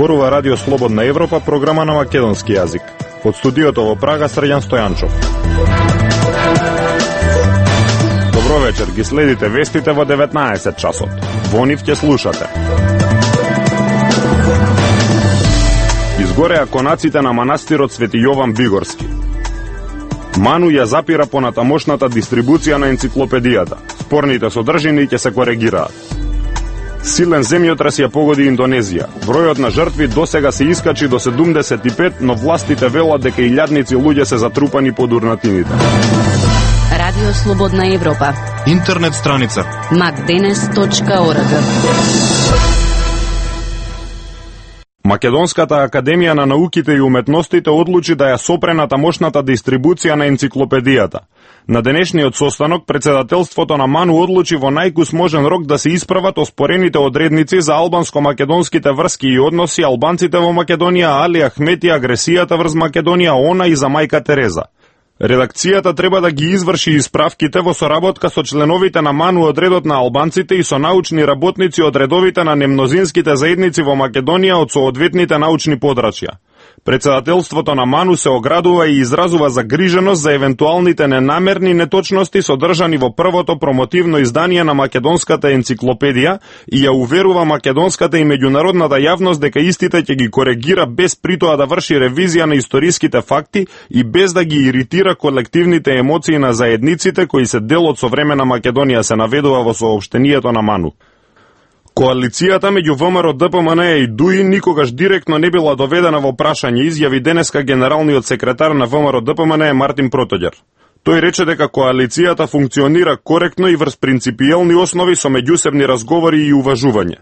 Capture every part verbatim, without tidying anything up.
Зборува Радио Слободна Европа, програма на македонски јазик. Од студиото во Прага, Срđan Стојанчов. Добро вечер, ги следите вестите во деветнаесет часот. Во нив ќе слушате. Изгореа конаците на манастирот Свети Јован Бигорски. Ману ја запира понатамошната дистрибуција на енциклопедијата. Спорните содржини ќе се коригираат. Силен земјотрес ја погоди Индонезија. Бројот на жртви досега се искачи до седумдесет и пет, но властите велат дека илјадници луѓе се затрупани под урнатините. Радио Слободна Европа. Интернет страница макденес точка орг. Македонската академија на науките и уметностите одлучи да ја сопре тамошната дистрибуција на енциклопедијата. На денешниот состанок председателството на МАНУ одлучи во најкус можен рок да се исправат оспорените одредници за албанско-македонските врски и односи, албанците во Македонија, Али Ахмети, агресијата врз Македонија, она и за мајка Тереза. Редакцијата треба да ги изврши исправките во соработка со членовите на МАНУ од редот на албанците и со научни работници од редовите на немнозинските заедници во Македонија од соодветните научни подрачја. Председателството на МАНУ се оградува и изразува загриженост за евентуалните ненамерни неточности содржани во првото промотивно издание на македонската енциклопедија и ја уверува македонската и меѓународната јавност дека истите ќе ги коригира без притоа да врши ревизија на историските факти и без да ги иритира колективните емоции на заедниците кои се дел од современа Македонија, се наведува во соопштенијето на МАНУ. Коалицијата меѓу ВМРО, ДПМН и ДУИ никогаш директно не била доведена во прашање, изјави денеска генералниот секретар на ВМРО ДПМН Мартин Протоѓер. Тој рече дека коалицијата функционира коректно и врз принципиелни основи со меѓусебни разговори и уважување.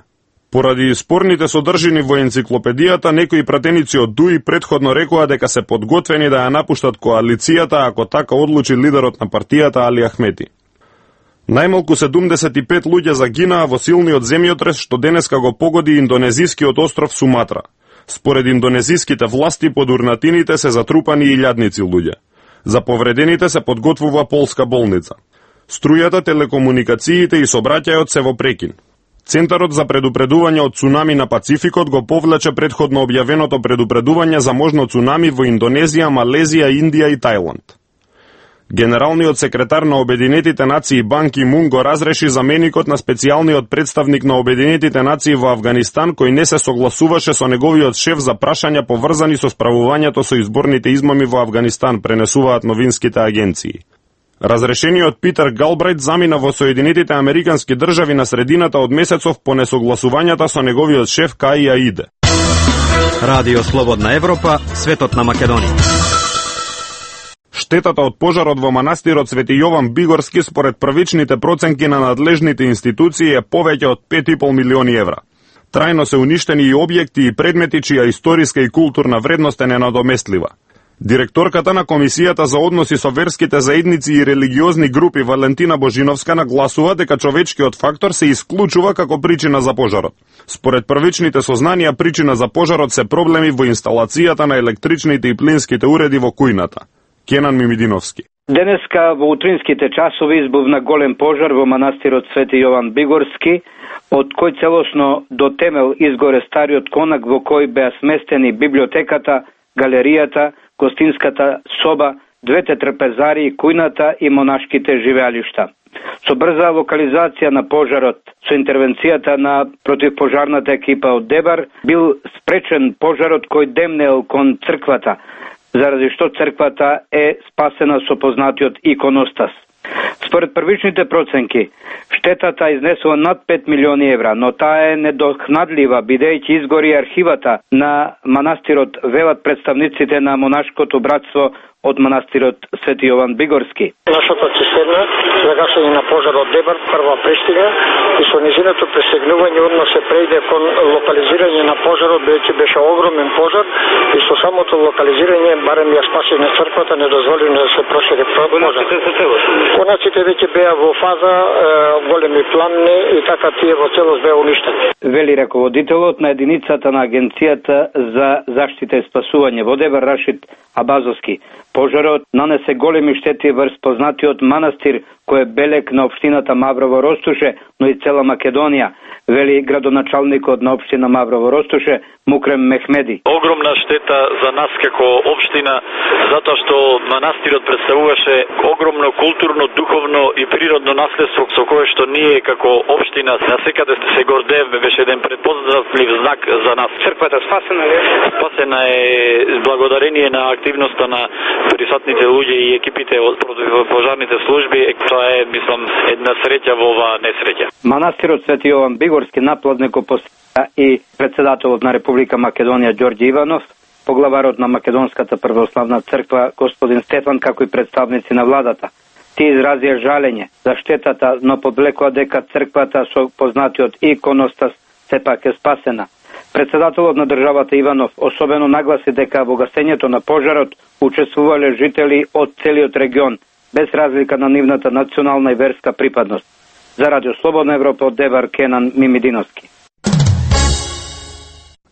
Поради спорните содржини во енциклопедијата, некои пратеници од ДУИ претходно рекоа дека се подготвени да ја напуштат коалицијата ако така одлучи лидерот на партијата Али Ахмети. Најмалку седумдесет и пет луѓе загинаа во силниот земјотрес што денеска го погоди индонезискиот остров Суматра. Според индонезиските власти под урнатините се затрупани илјадници луѓе. За повредените се подготвува полска болница. Струјата, телекомуникациите и сообраќајот се во прекин. Центарот за предупредување од цунами на Пацификот го повлече претходно објавеното предупредување за можно цунами во Индонезија, Малезија, Индија и Тајланд. Генералниот секретар на Обединетите нации Бан Ки Мун го разреши заменикот на специјалниот представник на Обединетите нации во Авганистан, кој не се согласуваше со неговиот шеф за прашања поврзани со справувањето со изборните измами во Авганистан, пренесуваат новинските агенции. Разрешениот Питер Галбрајт замина во Соединетите Американски држави на средината од месецов по несогласувањата со неговиот шеф Каи Аиде. Радио Слободна Европа, светот на Македонија. Штетата од пожарот во манастирот Свети Јован Бигорски според првичните проценки на надлежните институции е повеќе од пет и пол милиони евра. Трајно се уништени и објекти и предмети чија историска и културна вредност е ненадоместлива. Директорката на Комисијата за односи со верските заедници и религиозни групи Валентина Божиновска нагласува дека човечкиот фактор се исклучува како причина за пожарот. Според првичните сознанија, причина за пожарот се проблеми во инсталацијата на електричните и плинските уреди во кујната. Кенан Мимидиновски. Денеска во утринските часови избувна голем пожар во манастирот Свети Јован Бигорски, од кој целосно до темел изгоре стариот конак во кој беа сместени библиотеката, галеријата, гостинската соба, двете трпезари, кујната и монашките живеалишта. Со брза локализација на пожарот, со интервенцијата на противпожарната екипа од Дебар, бил спречен пожарот кој демнел кон црквата, заради што црквата е спасена со познатиот иконостас. Според првичните проценки, штетата изнесува над пет милиони евра, но таа е недохнадлива, бидејќи изгори архивата на манастирот, велат представниците на монашкото братство од манастирот Свети Јован Бигорски. Нашата цистерна за гасење на пожарот Дебар прва пристига и со низиното пресегнување одма се прејде кон локализирање на пожарот, бидејќи беше огромен пожар и со самото локализирање барем ја спаси на црквата, не дозволи да се прошири пожар. Конаците веќе беа во фаза е, големи пламни и така тие во целост беа уништени. Вели раководителот на единицата на Агенцијата за заштита и спасување во Дебар Рашид Абазовски. Пожарот нанесе големи штети врз познатиот манастир кој е белек на општината Маврово Ростуше, но и цела Македонија, вели градоначалникот на општина Маврово Ростуше Мукрем Мехмеди. Огромна штета за нас како општина, затоа што манастирот представуваше огромно културно, духовно и природно наследство со кое што ние како општина насекаде се гордееме, беше еден препознатлив знак за нас. Црквата спасена е? Спасена е благодарение на активноста на присутните луѓе и екипите од противопожарните служби. Тоа е, мислам, една среќа во оваа несреќа. Манастирот Свети Јован Бигорски наплатнико посета и председателот на Република Македонија Ѓорѓе Иванов, поглаварот на Македонската православна црква господин Стефан, како и представници на владата. Тие изразија жалење за штетата, но подвлекоа дека црквата со познатиот иконостас сепак е спасена. Председателот на државата Иванов особено нагласи дека во гасењето на пожарот учествувале жители од целиот регион, без разлика на нивната национална и верска припадност. За Радио Слободна Европа од Девар Кенан Мимидиновски.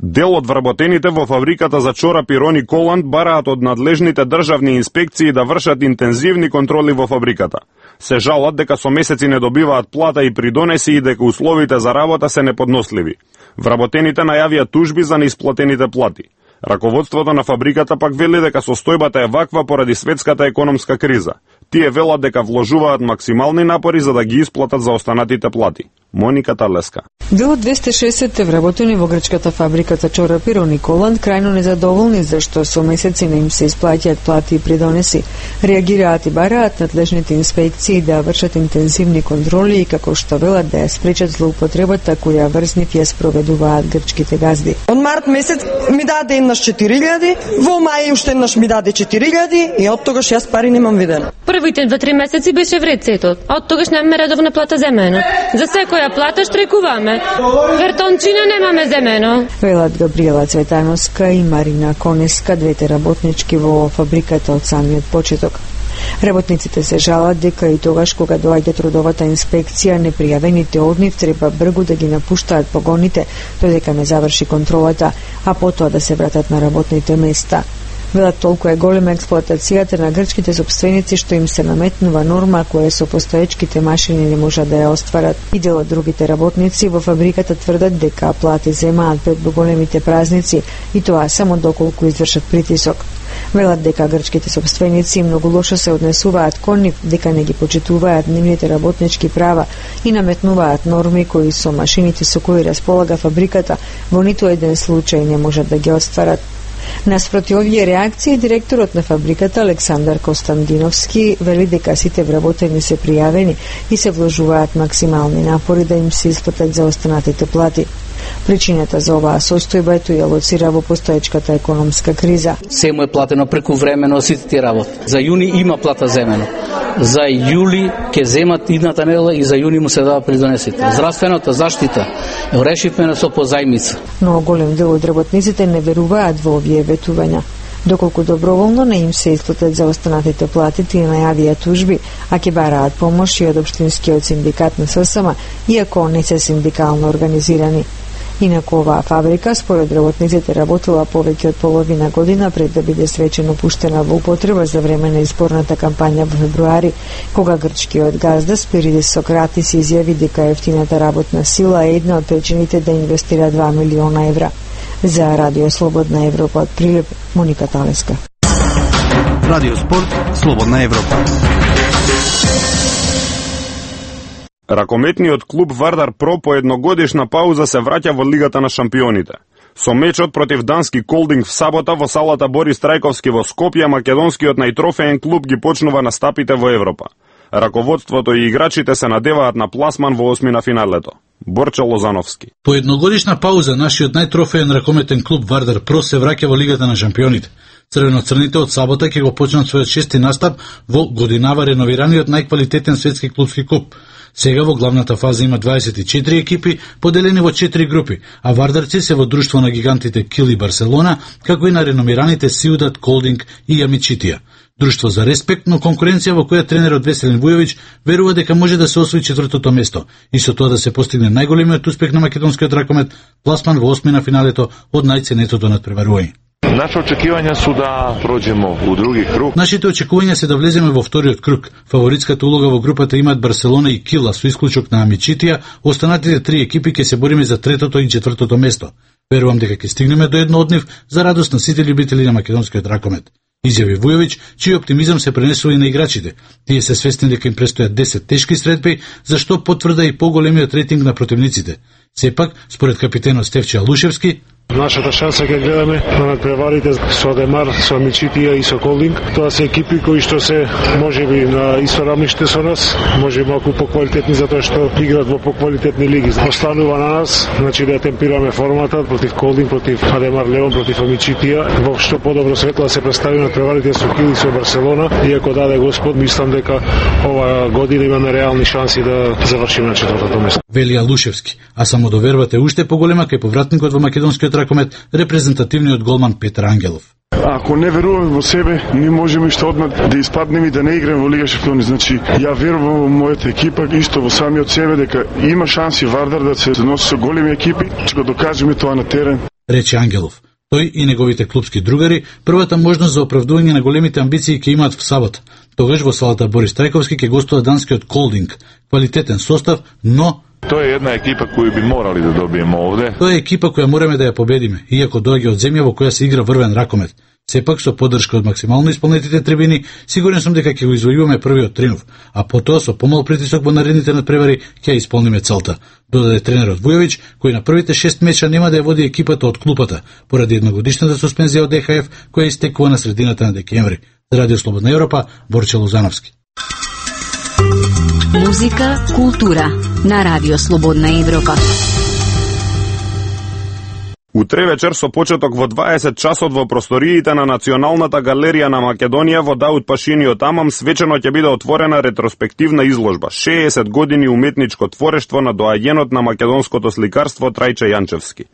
Дел од вработените во фабриката за чорапи Рони Коланд бараат од надлежните државни инспекции да вршат интензивни контроли во фабриката. Се жалат дека со месеци не добиваат плата и придонеси и дека условите за работа се неподносливи. Вработените најавија тужби за неисплатените плати. Раководството на фабриката пак вели дека состојбата е ваква поради светската економска криза. Тие велат дека вложуваат максимални напори за да ги исплатат за останатите плати. Моника Талеска. Дел од двесте и шесетте вработени во грчката фабрика за чорапи Рони Коланд крајно незадоволни зашто со месеци не им се исплаќаат плати и придонеси. Реагираат и бараат надлежните инспекции да вршат интензивни контроли и како што велат да ја спречат злоупотребата која врзнив ја спроведуваат грчките газди. Од март месец ми даде еднаш четири илјади, во мај уште еднаш ми даде четири илјади и од тогаш јас пари немам видено. Првите два-три месеци беше вред сето, а од тогаш немаме редовна плата земено. За секоја плата штрекуваме. Вертончина немаме земено. Велат Габриела Цветановска и Марина Конеска, двете работнички во фабриката од самиот почеток. Работниците се жалат дека и тогаш кога доаѓа трудовата инспекција, непријавените од нив треба бргу да ги напуштаат погоните додека не заврши контролата, а потоа да се вратат на работните места. Велат толку е голема експлоатацијата на грчките сопственици што им се наметнува норма која со постоечките машини не можат да ја остварат. И дел од другите работници во фабриката тврдат дека плати земаат пред големите празници и тоа само доколку извршат притисок. Велат дека грчките сопственици многу лошо се однесуваат кон нив, дека не ги почитуваат нивните работнички права и наметнуваат норми кои со машините со кои располага фабриката во ниту еден случај не можат да ги остварат. Наспроти овие реакции, директорот на фабриката Александар Костандиновски вели дека сите вработени се пријавени и се вложуваат максимални напори да им се исплатат за останатите плати. Причината за оваа состојба е ја лоцира во постоечката економска криза. Се му е платено прекувремено сите тие работи. За јуни има плата земено. За јули ќе земат идната недела и за јуни му се дава придонесите. Здравствената заштита ја решивме со позајмица. Но голем дел од работниците не веруваат во овие ветувања. Доколку доброволно не им се исплатат за останатите плати, тие најавија тужби, а ќе бараат помош и од општинскиот синдикат на ССМ, иако не се синдикално организирани. Инаку оваа фабрика, според работниците, работила повеќе од половина година пред да биде свечено пуштена во употреба за време на изборната кампања во февруари, кога грчкиот газда Спиридис Сократис изјави дека ефтината работна сила е една од причините да инвестира два милиона евра. За Радио Слободна Европа од Прилеп, Моника Талеска. Радио Спорт, Слободна Европа. Ракометниот клуб Вардар Про по едногодишна пауза се враќа во Лигата на шампионите. Со мечот против дански Колдинг в сабота во салата Борис Трајковски во Скопје, македонскиот најтрофеен клуб ги почнува настапите во Европа. Раководството и играчите се надеваат на пласман во осми на финалето. Борче Лозановски. По едногодишна пауза, нашиот најтрофеен ракометен клуб Вардар Про се враќа во Лигата на шампионите. Црвено-црните од сабота ќе го почнат својот шести настап во годинава реновираниот најквалитетен светски клубски клуб. Сега во главната фаза има дваесет и четири екипи, поделени во четири групи, а вардарци се во друштво на гигантите Кил и Барселона, како и на реномираните Сиудат, Колдинг и Амичитија. Друштво за респект, но конкуренција во која тренерот Веселин Вујовиќ верува дека може да се освои четвртото место и со тоа да се постигне најголемиот успех на македонскиот ракомет, пласман во осми на финалето од најценетото надпреварување. Наши очекивања су да проđemo у други круг. Нашите очекувања се да влеземе во вториот круг. Фаворитската улога во групата имаат Барселона и Кила со исклучок на Амичитија, останатите три екипи ќе се бориме за третото и четвртото место. Верувам дека ќе стигнеме до едно од нив за радост на сите љубители на македонскиот ракомет. Изјави Вујовиќ, чиј оптимизам се пренесува и на играчите. Тие се свесни дека им престојат десет тешки средби, зашто потврда и поголемиот рейтинг на противниците. Сепак, според капитенот Стефче Алушевски, нашата шанса ќе гледаме на надпреварите со Адемар, со Амичитија и со Колдинг. Тоа се екипи кои што се можеби на исто рамниште со нас, може малку поквалитетни затоа што играат во поквалитетни лиги. Останува на нас, значи да темпираме формата против Колдинг, против Адемар Леон, против Амичитија, во што подобро светло да се представи надпреварите со Кил и со Барселона. Иако даде Господ, мислам дека ова година имаме реални шанси да завршиме на четвртото место. Вели Алушевски, а самодовербата е уште поголема кај повратникот во македонскиот ракомет, репрезентативниот голман Петар Ангелов. Ако не веруваме во себе, ми можеме што одмah да испаднеме и да не играеме во Лига шампиони. Значи, ја верувам во мојата екипа, исто во самиот себе, дека има шанси Вардар да се носи со големи екипи, ќе го докажеме тоа на терен. Рече Ангелов. Тој и неговите клубски другари првата можност за оправдување на големите амбиции ќе имаат в сабота. Тогаш во салата Борис Трајковски ќе гостува данскиот Колдинг. Квалитетен состав, но Тоа е една екипа која би морали да добиеме овде. Тоа е екипа која мораме да ја победиме, иако доаѓа од земја во која се игра врвен ракомет. Сепак со поддршка од максимално исполнетите трибини, сигурен сум дека ќе го извојуваме првиот тринов, а потоа со помал притисок во наредните надпревари ќе ја исполниме целта, додаде тренерот Вујовиќ, кој на првите шест меча нема да ја води екипата од клупата, поради едногодишната суспензија од Е Ха Еф, која истекува на средината на декември. За Радио Слободна Европа, Борче Лозановски. Музика, култура на Радио Слободна Европа. Утре вечер со почеток во дваесет часот во просториите на Националната галерија на Македонија во Даут Пашиниот Амам свечено ќе биде отворена ретроспективна изложба шеесет години уметничко творештво на доаѓенот на македонското сликарство Трајче Јанчевски.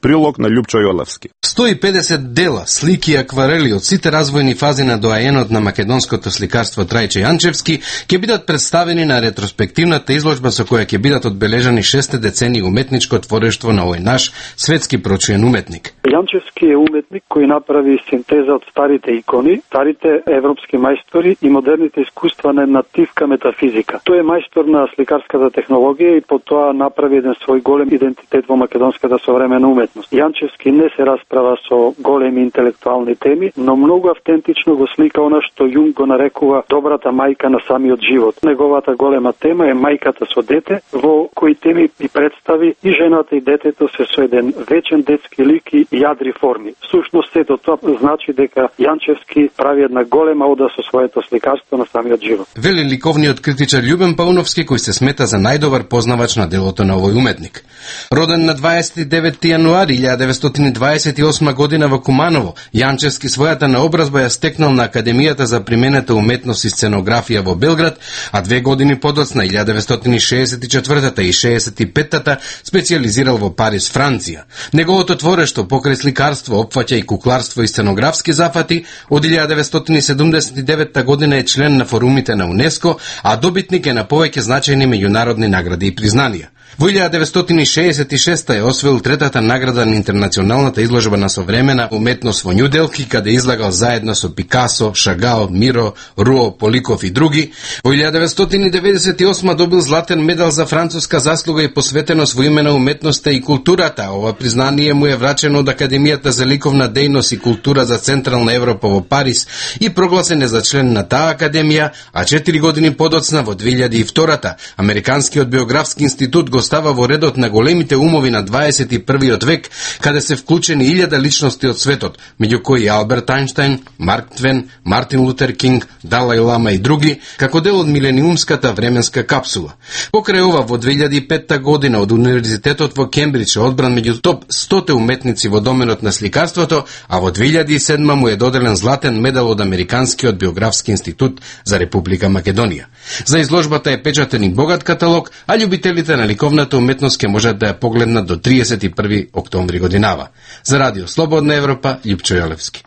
Прилог на Љупчо Јолевски. сто и педесет дела, слики и акварели од сите развојни фази на доајенот на македонското сликарство Трајче Јанчевски ќе бидат представени на ретроспективната изложба со која ќе бидат одбележани шесте децени уметничко творештво на овој наш светски прочуен уметник. Јанчевски е уметник кој направи синтеза од старите икони, старите европски мајстори и модерните искуства на една тивка метафизика. Тој е мајстор на сликарската технологија и потоа направи еден свој голем идентитет во македонската современа уметност. Јанчевски не се расправа со големи интелектуални теми, но многу автентично го слика она што Јунг го нарекува добрата мајка на самиот живот. Неговата голема тема е мајката со дете, во кои теми и представи и жената и детето се со еден вечен детски лик и јадри форми. Всушност сето тоа значи дека Јанчевски прави една голема ода со своето сликарство на самиот живот. Вели ликовниот критичар Љубен Пауновски, кој се смета за најдобар познавач на делото на овој уметник. Роден на дваесет и деветти јануари илјада деветстотини дваесет и осма година во Куманово, Јанчевски својата наобразба ја стекнал на Академијата за применета уметност и сценографија во Белград, а две години подоцна, илјада деветстотини шеесет и четвртата и шеесет и петтата, специјализирал во Париз, Франција. Неговото творештво покрај сликарство опфаќа и кукларство и сценографски зафати. Од илјада деветстотини седумдесет и девета година е член на форумите на УНЕСКО, а добитник е на повеќе значајни меѓународни награди и признанија. Во илјада деветстотини шеесет и шеста е освоил третата награда на интернационалната изложба на современа уметност во Њу Делхи, каде излагал заедно со Пикасо, Шагал, Миро, Руо, Поликов и други. Во илјада деветстотини деветдесет и осма добил златен медал за француска заслуга и посветеност во име на уметноста и културата. Ова признание му е врачено од Академијата за ликовна дејност и култура за Централна Европа во Париз и прогласен е за член на таа академија, а четири години подоцна во две илјади и втората Американскиот биографски институт го става во редот на големите умови на дваесет и првиот век, каде се вклучени илјада личности од светот, меѓу кои Алберт Ајнштајн, Марк Твен, Мартин Лутер Кинг, Далај Лама и други, како дел од милениумската временска капсула. Покрај ова, во две илјади и петта година од Универзитетот во Кембридж е одбран меѓу топ сто уметници во доменот на сликарството, а во две илјади и седма му е доделен златен медал од Американскиот биографски институт за Република Македонија. За изложбата е печатен и богат каталог, а љубителите на ликовната уметност ќе можат да ја погледнат до триесет и први октомври годинава. За Радио Слободна Европа, Љупчо Јолевски.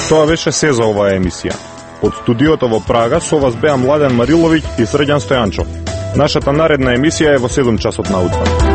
Тоа беше се за оваа емисија. Од студиото во Прага со вас беа Младен Мариловиќ и Срđan Стојанчов. Нашата наредна емисија е во седум часот наутро.